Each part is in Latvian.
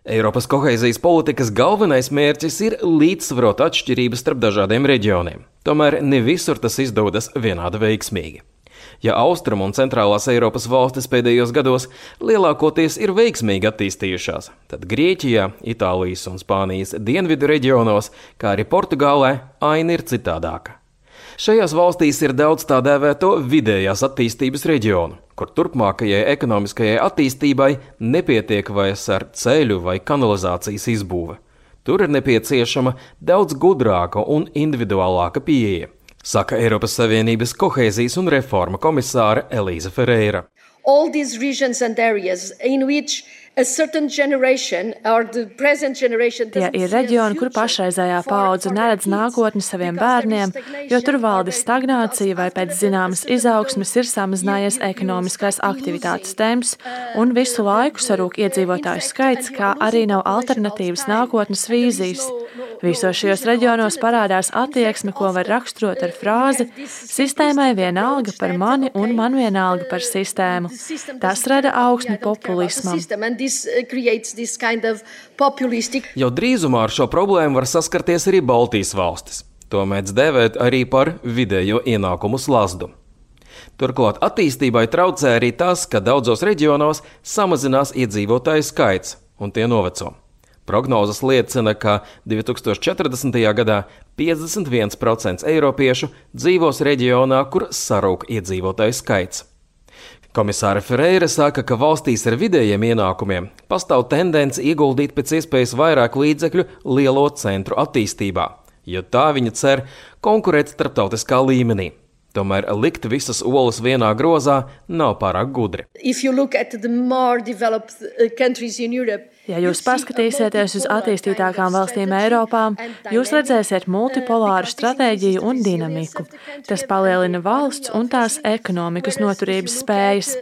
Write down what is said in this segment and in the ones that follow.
Eiropas kohēzijas politikas galvenais mērķis ir līdzsvarot atšķirības starp dažādiem reģioniem. Tomēr ne visur tas izdodas vienādi veiksmīgi. Ja Austrum un Centrālās Eiropas valstis pēdējos gados lielākoties ir veiksmīgi attīstījušās, tad Grieķijā, Itālijas un Spānijas dienvidu reģionos, kā arī Portugālē, aina ir citādāka. Šajās valstīs ir daudz tā dēvēto vidējās attīstības reģionu, kur turpmākajai ekonomiskajai attīstībai nepietiek vairs ar ceļu vai kanalizācijas izbūve. Tur ir nepieciešama daudz gudrāka un individuālāka pieeja, saka Eiropas Savienības kohēzijas un reforma komisāre Elīza Ferreira. All these regions and areas in which a certain generation or the present generation ir reģioni, kur pašreizējā paudze neredz nākotni saviem bērniem, jo tur valda stagnācija vai pēc zināmas izaugsmes ir samazinājies ekonomiskās aktivitātes temps un visu laiku sarūk iedzīvotāju skaits, kā arī nav alternatīvas nākotnes vīzijas. Visos šajos reģionos parādās attieksme, ko var raksturot ar frāzi "sistēmai vienalga par mani un man vienalga par sistēmu". Tas rada augsni populismam. Jau drīzumā ar šo problēmu var saskarties arī Baltijas valstis. To mēdz dēvēt arī par vidējo ienākumu slazdu. Turklāt attīstībai traucē arī tas, ka daudzos reģionos samazinās iedzīvotāju skaits un tie noveco. Prognozes liecina, ka 2040. gadā 51% eiropiešu dzīvos reģionā, kur sarūk iedzīvotāju skaits. Komisāre Ferreira saka, ka valstīs ar vidējiem ienākumiem pastāv tendence ieguldīt pēc iespējas vairāk līdzekļu lielo centru attīstībā, jo tā viņa cer konkurēt starptautiskā līmenī. Tomēr likt visas olas vienā grozā nav pārāk gudri. Ja jūs paskatīsieties uz attīstītākām valstīm Eiropā, jūs redzēsiet multipolāru stratēģiju un dinamiku. Tas palielina valsts un tās ekonomikas noturības spējas.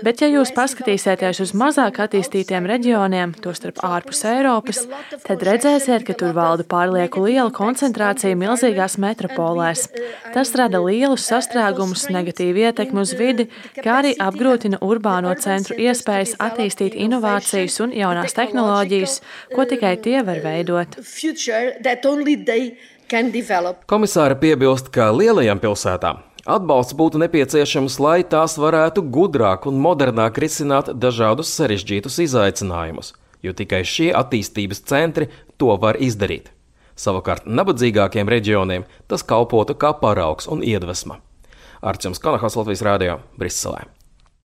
Bet ja jūs paskatīsieties uz mazāk attīstītiem reģioniem, tostarp ārpus Eiropas, tad redzēsiet, ka tur valda pārlieku liela koncentrācija milzīgās metropolēs. Tas rada lielus sastrēgumus, negatīvu ietekmi uz vidi, kā arī apgrūtina urbāno centru iespējas attīstīt inovācijas un jaunās tehnoloģijas, ko tikai tie var veidot. Komisāre piebilst, ka lielajām pilsētām atbalsts būtu nepieciešams, lai tās varētu gudrāk un modernāk risināt dažādus sarežģītus izaicinājumus, jo tikai šie attīstības centri to var izdarīt. Savukārt nabadzīgākiem reģioniem tas kalpotu kā paraugs un iedvesma. Arčuns Kanahas, Latvijas radio, Briselē.